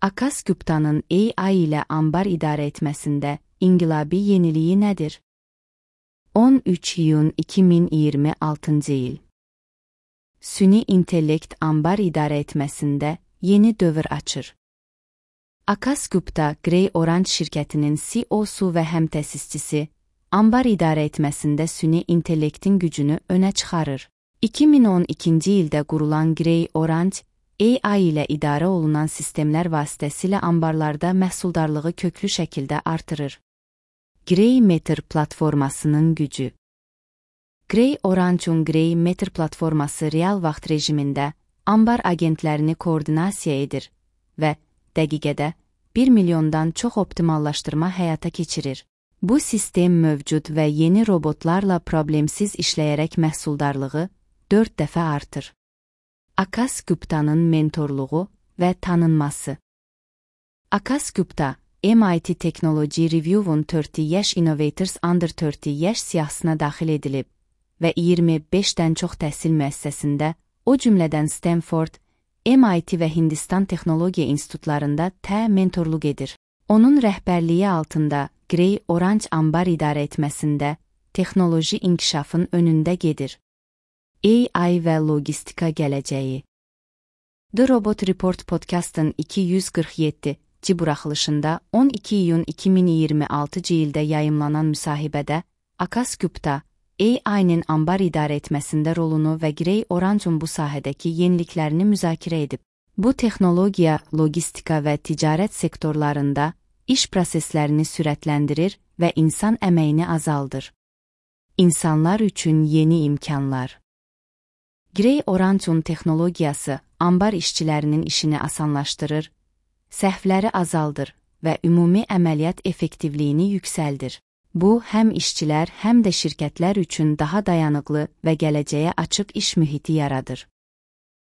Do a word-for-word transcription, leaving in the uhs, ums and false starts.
Akas Gupta'nın A I ilə ambar idarə etməsində inqilabi yeniliyi nədir? on üç iyun iki min iyirmi altıncı il. Süni intellekt ambar idarə etməsində yeni dövr açır. Akas Gupta, Grey Orange şirkətinin C E O'su və həmtəsisçisi, ambar idarə etməsində süni intellektin gücünü önə çıxarır. iki min on ikinci ildə qurulan Grey Orange, A I ilə idarə olunan sistemlər vasitəsilə ambarlarda məhsuldarlığı köklü şəkildə artırır. Grey Matter platformasının gücü. Grey Orange'un Grey Matter platforması real vaxt rejimində ambar agentlərini koordinasiya edir və dəqiqədə bir milyondan çox optimallaşdırma həyata keçirir. Bu sistem mövcud və yeni robotlarla problemsiz işləyərək məhsuldarlığı dörd dəfə artır. Akas Gupta'nın mentorluğu və tanınması. Akas Gupta, M I T Technology Review'un otuz yaş Innovators Under otuz yaş siyahısına daxil edilib və iyirmi beşdən çox təhsil müəssisəsində, o cümlədən Stanford, M I T və Hindistan Texnologiya İnstitutlarında tə mentorluq edir. Onun rəhbərliyi altında Grey Orange ambar idarə etməsində texnoloji inkişafın önündə gedir. A I və logistika gələcəyi. The Robot Report Podcast'ın iki yüz qırx yeddinci buraxılışında on iki iyun iki min iyirmi altıncı ildə yayımlanan müsahibədə Akas Gupta, A I-nin ambar idarə etməsində rolunu və Grey Orange'un bu sahədəki yeniliklərini müzakirə edib. Bu texnologiya, logistika və ticarət sektorlarında iş proseslərini sürətləndirir və insan əməyini azaldır. İnsanlar üçün yeni imkanlar. Grey Orange'un texnologiyası ambar işçilərinin işini asanlaşdırır, səhvləri azaldır və ümumi əməliyyat effektivliyini yüksəldir. Bu, həm işçilər, həm də şirkətlər üçün daha dayanıqlı və gələcəyə açıq iş mühiti yaradır.